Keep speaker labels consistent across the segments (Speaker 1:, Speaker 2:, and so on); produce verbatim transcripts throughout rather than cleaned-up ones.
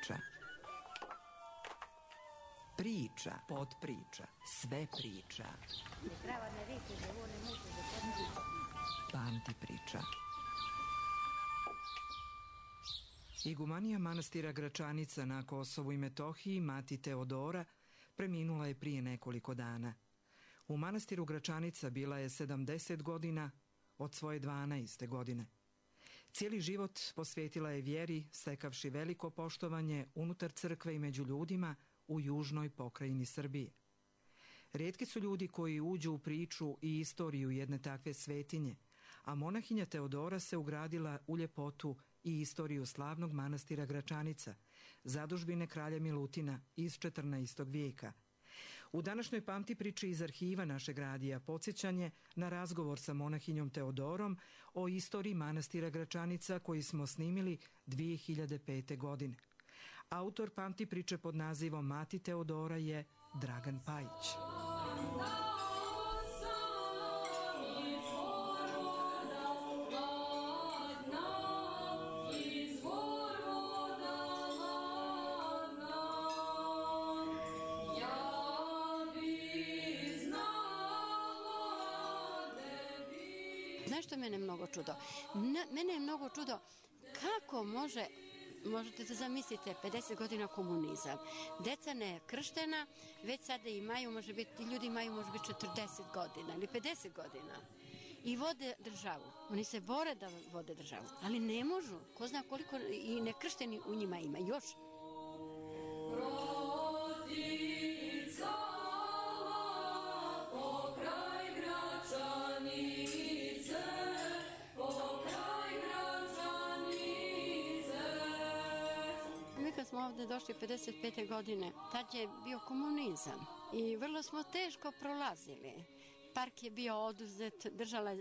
Speaker 1: priča. Priča, podpriča, sve priča. Pamti priča. Igumanija manastira Gračanica na Kosovu i Metohiji, mati Teodora, preminula je prije nekoliko dana. U manastiru Gračanica bila je sedamdeset godina od svoje dvanaeste godine. Cijeli život posvetila je vjeri, stekavši veliko poštovanje unutar crkve i među ljudima u južnoj pokrajini Srbije. Rijetki su ljudi koji uđu u priču i istoriju jedne takve svetinje, a monahinja Teodora se ugradila u ljepotu i istoriju slavnog manastira Gračanica, zadužbine kralja Milutina iz četrnaestog vijeka. U današnjoj pamti priči iz arhiva našeg radija podsjećanje na razgovor sa monahinjom Teodorom o istoriji manastira Gračanica koji smo snimili dvije hiljade pete. godine. Autor pamti priče pod nazivom Mati Teodora je Dragan Pajić.
Speaker 2: Znaš što mene je mnogo čudo? Mene je mnogo čudo kako može, možete da zamislite, pedeset godina komunizam. Deca ne krštena, već sada imaju, može biti, ljudi imaju može biti četrdeset godina ili pedeset godina. I vode državu. Oni se bore da vode državu, ali ne možu. Ko zna koliko i nekršteni u njima ima još. Kad smo ovdje došli pedeset pete. godine, tad je bio komunizam i vrlo smo teško prolazili. Park je bio oduzet, držala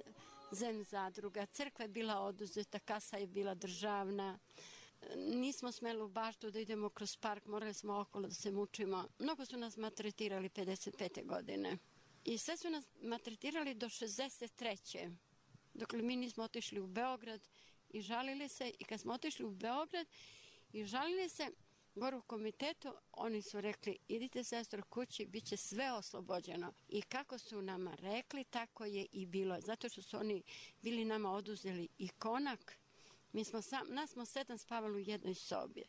Speaker 2: zem zadruga, crkva je bila oduzeta, kasa je bila državna. Nismo smeli u baštu da idemo kroz park, morali smo okolo da se mučimo. Mnogo su nas maltretirali pedeset pete. godine. I sve su nas maltretirali do šezdeset treće. Dokle mi nismo otišli u Beograd i žalili se, i kad smo otišli u Beograd i žalili se gore u komitetu, oni su rekli, idite sestro kući, bit će sve oslobođeno. I kako su nama rekli, tako je i bilo. Zato što su oni bili nama oduzeli i konak. Mi smo sam, nas smo sedam spavali u jednoj sobi.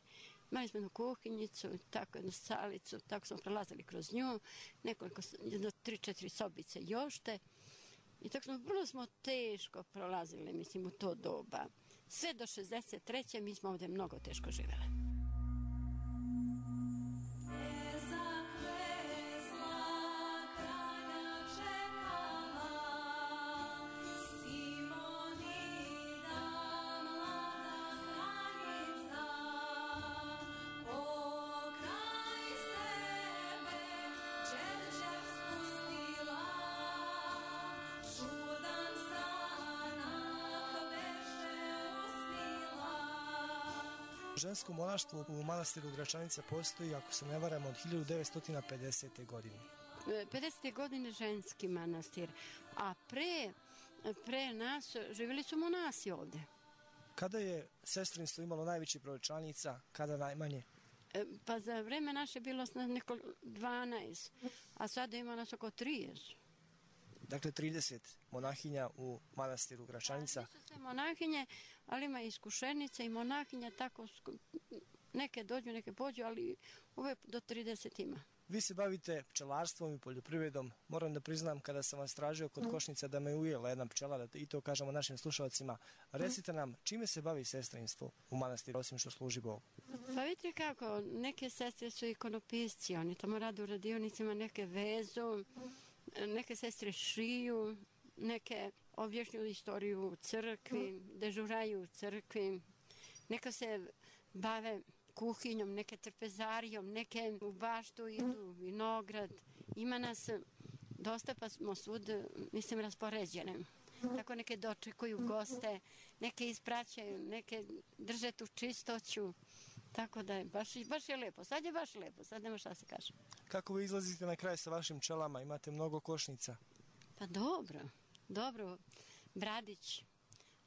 Speaker 2: Imali smo jednu kuhinjicu, tako jednu salicu, tako smo prelazili kroz nju, nekoliko, jedno tri, četiri sobice još te. I tako smo, vrlo smo teško prolazili, mislim, u to doba. Sve do šezdeset treće. mi smo ovdje mnogo teško živjeli.
Speaker 3: Žensko monaštvo u manastiru Gračanica postoji, ako se ne varam, od hiljadu devetsto pedesete. godine.
Speaker 2: pedesete. godine ženski manastir, a pre, pre nas živjeli su monasi ovdje.
Speaker 3: Kada je sestrinstvo imalo najveći broj članica, kada najmanje?
Speaker 2: Pa za vreme naše bilo nas neko dvanaest, a sada ima nas oko trideset.
Speaker 3: Dakle, trideset monahinja u manastiru Gračanica.
Speaker 2: Nisu sve monahinje, ali ima iskušenice i monahinja, tako neke dođu, neke pođu, ali uvijek do trideset ima.
Speaker 3: Vi se bavite pčelarstvom i poljoprivredom. Moram da priznam, kada sam vas tražio kod Košnica da me ujela jedna pčela, da i to kažemo našim slušalcima. Recite nam, čime se bavi sestrinstvo u manastiru, osim što služi Bogu?
Speaker 2: Pa vidite kako, neke sestre su ikonopisci, oni tamo rade u radionicima, neke vezu, neke sestre šiju, neke objašnjuju istoriju u crkvi, dežuraju u crkvi, neka se bave kuhinjom, neke trpezarijom, neke u baštu idu, vinograd. Ima nas dosta, pa smo svud, mislim, raspoređene. Tako neke dočekuju goste, neke ispraćaju, neke drže tu čistoću. Tako da je, baš, baš je lepo. Sad je baš lepo, sad nema šta se kaže.
Speaker 3: Kako vi izlazite na kraj sa vašim pčelama? Imate mnogo košnica.
Speaker 2: Pa dobro, dobro. Bradić,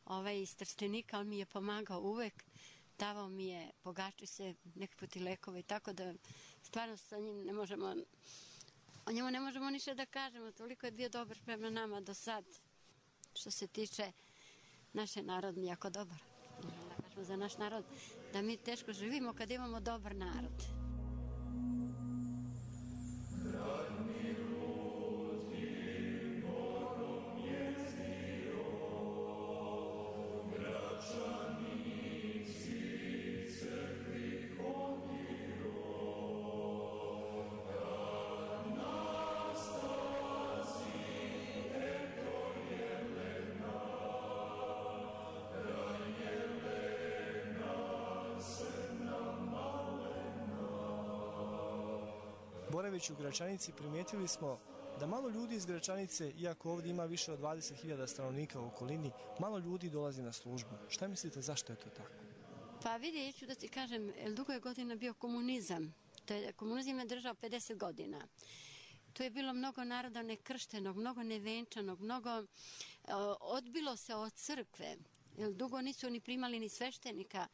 Speaker 2: ovaj iz Trstenika, on mi je pomagao uvek. davao mi je, pogači se neki put i lekove, tako da stvarno sa njim ne možemo, o njemu ne možemo ništa da kažemo, toliko je bio dobar prema nama do sad, što se tiče naše narod jako dobar. Da kažemo za naš narod, da mi teško živimo kad imamo dobar narod.
Speaker 3: Boraveći u Gračanici primijetili smo da malo ljudi iz Gračanice, iako ovdje ima više od dvadeset hiljada stanovnika u okolini, malo ljudi dolazi na službu. Šta mislite zašto je to tako?
Speaker 2: Pa vidi, ja ću da ti kažem, dugo je godina bio komunizam. To je, komunizam je držao pedeset godina. Tu je bilo mnogo naroda nekrštenog, mnogo nevenčanog, mnogo uh, odbilo se od crkve. Jer dugo nisu ni primali ni sveštenika.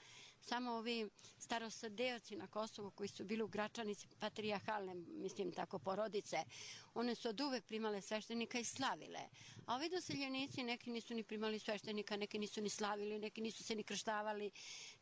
Speaker 2: Samo ovi starosadeoci na Kosovu koji su bili u Gračanici, patrijarhalne, mislim tako, porodice, one su od uvek primale sveštenika i slavile. A ovi doseljenici, neki nisu ni primali sveštenika, neki nisu ni slavili, neki nisu se ni krštavali,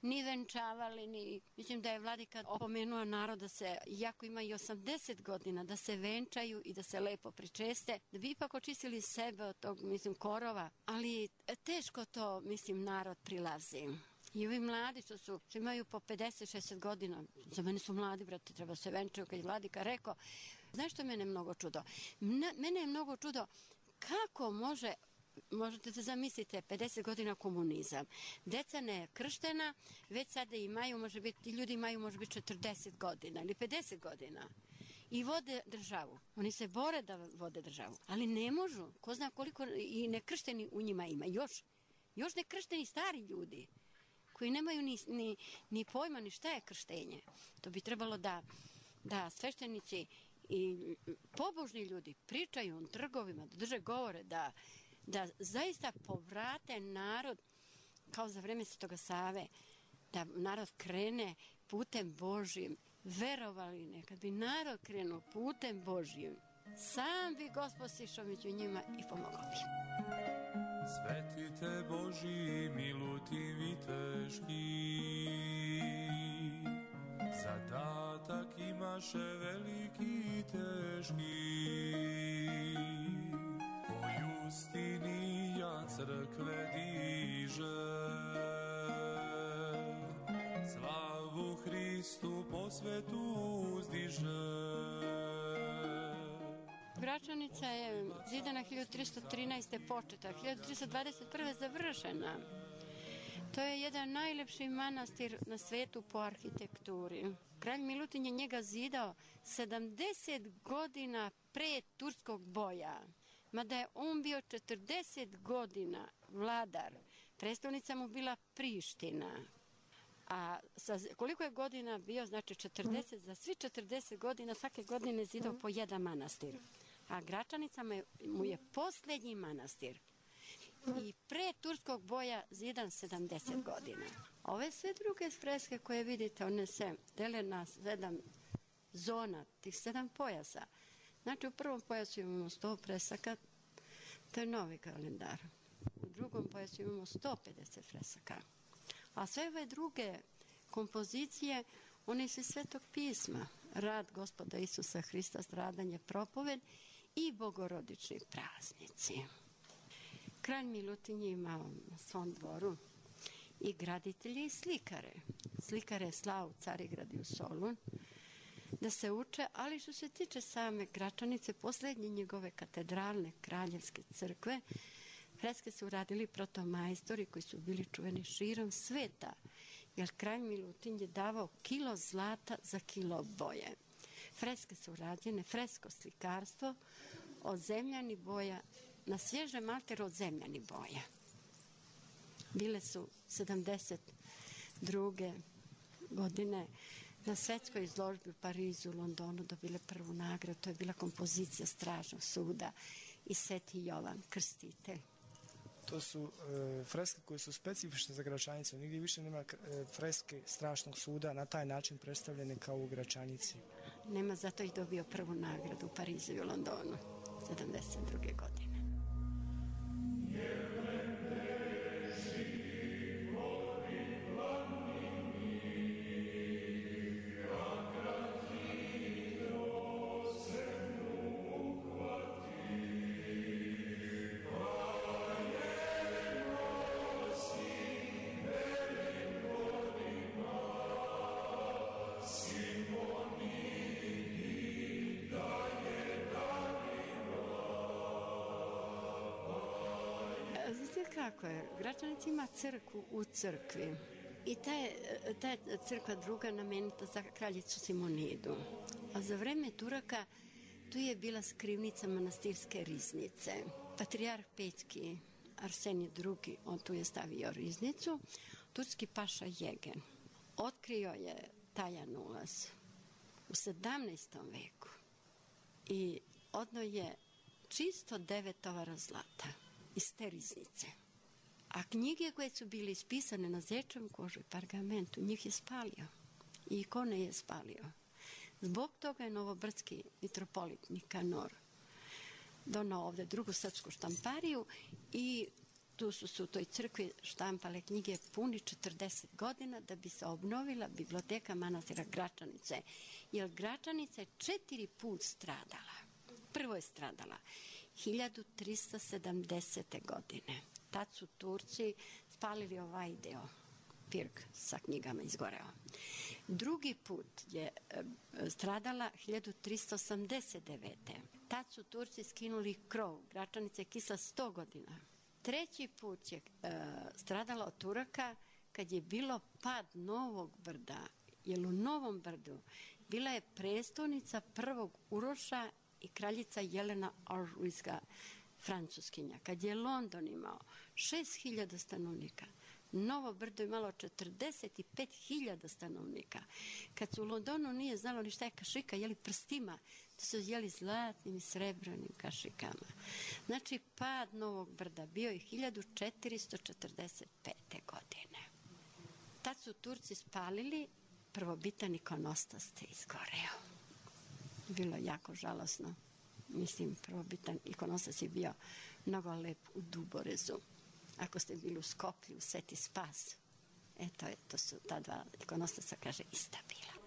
Speaker 2: ni venčavali, ni... Mislim da je vladika opomenuo narod da se, iako ima i osamdeset godina, da se venčaju i da se lepo pričeste, da bi ipak očistili sebe od tog, mislim, korova. Ali teško to, mislim, narod prilazi. I ovi mladi što su, što imaju po pedeset šezdeset godina, za mene su mladi, brate, treba se venčaju, kad je vladika rekao. Znaš što mene je mnogo čudo? Mene je mnogo čudo kako može, možete da zamislite, pedeset godina komunizam. Deca ne krštena, već sada imaju, može biti, ljudi imaju može biti četrdeset godina ili pedeset godina. I vode državu. Oni se bore da vode državu, ali ne možu. Ko zna koliko i nekršteni u njima ima. Još, još nekršteni stari ljudi koji nemaju ni, ni, ni pojma ni šta je krštenje. To bi trebalo da, da sveštenici i pobožni ljudi pričaju u trgovima, da drže govore, da, da zaista povrate narod kao za vreme Svetoga Save, da narod krene putem Božjim. Verovali ne, kad bi narod krenuo putem Božjim, sam bi Gospod sišao među njima i pomogao bi.
Speaker 4: Svetite Božji, milutivi teški, zadatak imaše veliki i teški. Po justini ja crkve diže, slavu Hristu po svetu uzdiže.
Speaker 2: Gračanica je zidana hiljadu tristo trinaeste. početa, hiljadu tristo dvadeset prve. završena. To je jedan najlepši manastir na svetu po arhitekturi. Kralj Milutin je njega zidao sedamdeset godina pre turskog boja. Mada je on bio četrdeset godina vladar. Prestolnica mu bila Priština. A sa, koliko je godina bio, znači četrdeset, za svi četrdeset godina svake godine zidao po jedan manastir. A Gračanica mu je posljednji manastir. I pre turskog boja zidan sedamdeset godina. Ove sve druge freske koje vidite, one se dele na sedam zona, tih sedam pojasa. Znači u prvom pojasu imamo sto fresaka, to je novi kalendar. U drugom pojasu imamo sto pedeset fresaka. A sve ove druge kompozicije, one su Svetog pisma. Rad Gospoda Isusa Hrista, stradanje, propoved i bogorodični praznici. Kralj Milutin je imao na svom dvoru i graditelje i slikare. Slikare je slao u Carigrad i u Solun da se uče, ali što se tiče same Gračanice, posljednje njegove katedralne kraljevske crkve, freske su uradili protomajstori koji su bili čuveni širom sveta, jer kralj Milutin je davao kilo zlata za kilo boje. Freske su urađene, fresko slikarstvo od zemljani boja, na svježem malteru od zemljani boja. Bile su sedamdeset druge. godine na svetskoj izložbi u Parizu, u Londonu dobile prvu nagradu. To je bila kompozicija Stražnog suda i Sveti Jovan Krstitelj.
Speaker 3: To su e, freske koje su specifične za Gračanicu. Nigdje više nema e, freske strašnog suda na taj način predstavljene kao u Gračanici.
Speaker 2: Nema, zato ih dobio prvu nagradu u Parizu i u Londonu sedamdeset druge godine. Znate kako je? Gračanic ima crkvu u crkvi i ta je, ta je crkva druga namenita za kraljicu Simonidu. A za vreme Turaka tu je bila skrivnica manastirske riznice. Patrijarh Pećki Arsenij drugi, on tu je stavio riznicu. Turski paša Jegen otkrio je tajan ulaz u sedamnaestom veku i odno je čisto devet tovara zlata iz te riznice. A knjige koje su bile ispisane na zečevom kožu i pergamentu, njih je spalio. I ikone je spalio. Zbog toga je novobrdski mitropolit Nikanor donao ovde drugu srpsku štampariju i tu su se u toj crkvi štampale knjige puni četrdeset godina da bi se obnovila biblioteka manastira Gračanice. Jer Gračanica je četiri put stradala. Prvo je stradala hiljadu trista sedamdesete. godine. Tad su Turci spalili ovaj deo, pirg sa knjigama izgoreo. Drugi put je e, stradala hiljadu trista osamdeset devete. Tad su Turci skinuli krov, Gračanica je kisla sto godina. Treći put je e, stradala od Turaka kad je bilo pad Novog Brda, jer u Novom Brdu bila je prestolnica prvog Uroša i kraljica Jelena Aržujska, Francuskinja. Kad je London imao šest hiljada stanovnika, Novo Brdo je imalo četrdeset pet hiljada stanovnika. Kad su u Londonu nije znalo ni šta je kašika, jeli prstima, to su jeli zlatnim i srebrnim kašikama. Znači, pad Novog Brda bio je hiljadu četiristo četrdeset pete. godine. Tad su Turci spalili prvobitan ikonostas te izgoreo. Bilo je jako žalosno. Mislim, prvobitan ikonostas je bio mnogo lep u Duborezu. Ako ste bili u Skoplju, u Sveti Spas, eto, to su ta dva ikonostasa, kaže, ista bila.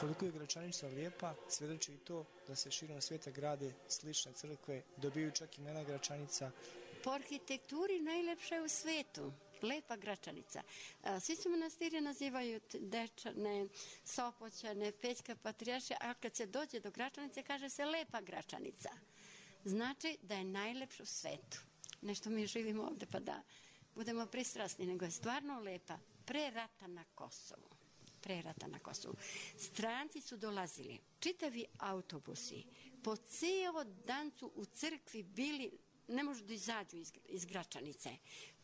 Speaker 3: Koliko je Gračanica lijepa, svjedoči i to da se širom svijeta grade slične crkve, dobiju čak imena Gračanica.
Speaker 2: Po arhitekturi najlepša je u svetu, lepa Gračanica. Svi se manastiri nazivaju Dečane, Sopoćane, Pećka Patrijaršija, a kad se dođe do Gračanice kaže se lepa Gračanica. Znači da je najlepša u svetu. Nešto mi živimo ovde pa da budemo pristrasni, nego je stvarno lepa. Pre rata na Kosovu. Pre rata na Kosovu. Stranci su dolazili, čitavi autobusi, po cijelo dan su u crkvi bili, ne možu da izađu iz, iz Gračanice.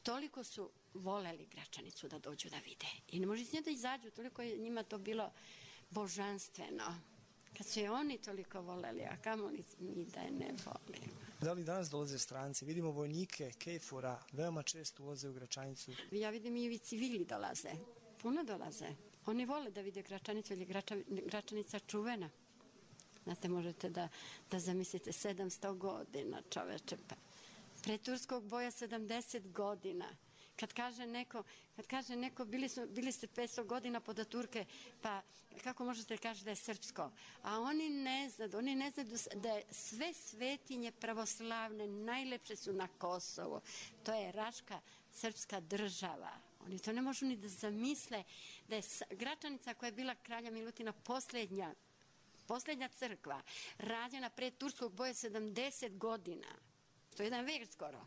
Speaker 2: Toliko su voleli Gračanicu da dođu da vide. I ne može s nje da izađu, toliko je njima to bilo božanstveno. Kad su je oni toliko voleli, a kamo li mi da je ne volimo.
Speaker 3: Da li danas dolaze stranci? Vidimo vojnike, kejfora, veoma često ulaze u Gračanicu.
Speaker 2: Ja vidim i civili dolaze, puno dolaze. Oni vole da vide Gračanicu, jer je Grača, Gračanica čuvena. Znate, možete da, da zamislite sedamsto godina, čoveče. Pa. Pre turskog boja sedamdeset godina. Kad kaže neko, kad kaže neko bili, su, bili ste petsto godina pod Turke, pa kako možete kaži da je srpsko? A oni ne znaju, oni ne znaju da je sve svetinje pravoslavne najlepše su na Kosovu. To je Raška srpska država. Oni to ne možu ni da zamisle da je Gračanica koja je bila kralja Milutina posljednja Posljednja crkva rađena pre turskog boja sedamdeset godina. To je jedan vek skoro.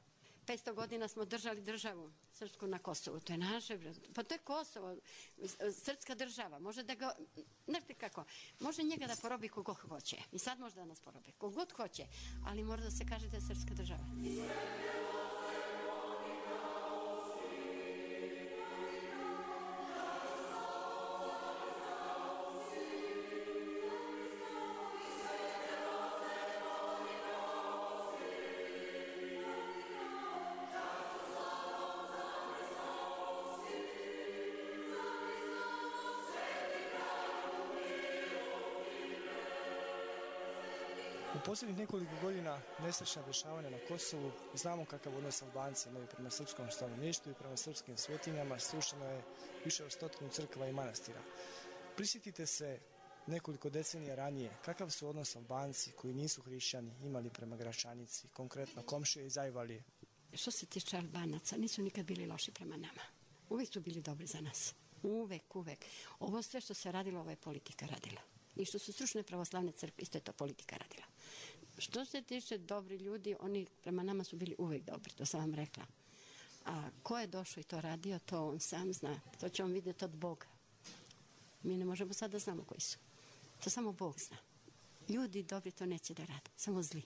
Speaker 2: petsto godina smo držali državu srpsku na Kosovu. To je naše, pa to je Kosovo, srpska država. Može da ga, znate kako, može njega da porobi kogod hoće. I sad može da nas porobi kogod hoće, ali mora da se kaže da je srpska država.
Speaker 3: U posljednjih nekoliko godina nesrećna dešavanja na Kosovu, znamo kakav odnos Albanci imaju prema srpskom stanovništvu i prema srpskim svetinjama, srušeno je više od stotinu crkva i manastira. Prisjetite se nekoliko decenija ranije, kakav su odnos Albanci koji nisu hrišćani imali prema Gračanici, konkretno komšije iz Ajvalije?
Speaker 2: Što se tiče Albanaca, nisu nikad bili loši prema nama. Uvijek su bili dobri za nas. Uvek, uvek. Ovo sve što se radilo, ovo je politika radila. I što su stručne pravoslavne crkve, isto je to politika radila. Što se tiče dobri ljudi, oni prema nama su bili uvijek dobri, to sam vam rekla. A ko je došao i to radio, to on sam zna. To će on vidjeti od Boga. Mi ne možemo sad da znamo koji su. To samo Bog zna. Ljudi dobri to neće da rade, samo zli.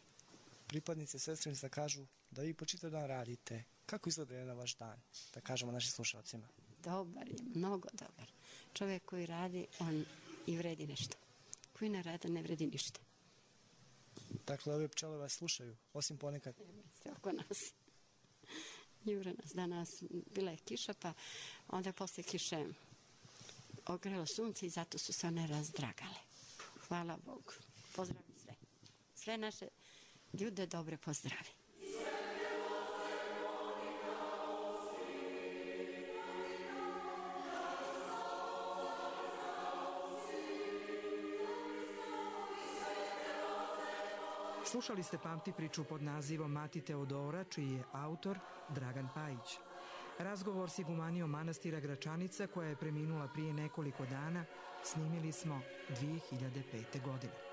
Speaker 3: Pripadnice sestrinstva kažu da vi po čitav dan radite. Kako izgleda jedan vaš dan, da kažemo našim slušalcima?
Speaker 2: Dobar je, mnogo dobar. Čovjek koji radi, on i vredi nešto. Koji ne radi, ne vredi ništa.
Speaker 3: Dakle, ove pčele vas slušaju, osim ponekad.
Speaker 2: Sve oko nas. Jure nas danas, bila je kiša, pa onda poslije kiše ogrelo sunce i zato su se one razdragale. Hvala Bogu. Pozdravi sve. Sve naše ljude dobre pozdravi.
Speaker 1: Slušali ste Pamti priču pod nazivom Mati Teodora, čiji je autor Dragan Pajić. Razgovor s igumanijom manastira Gračanica, koja je preminula prije nekoliko dana, snimili smo dvije hiljade pete. godine.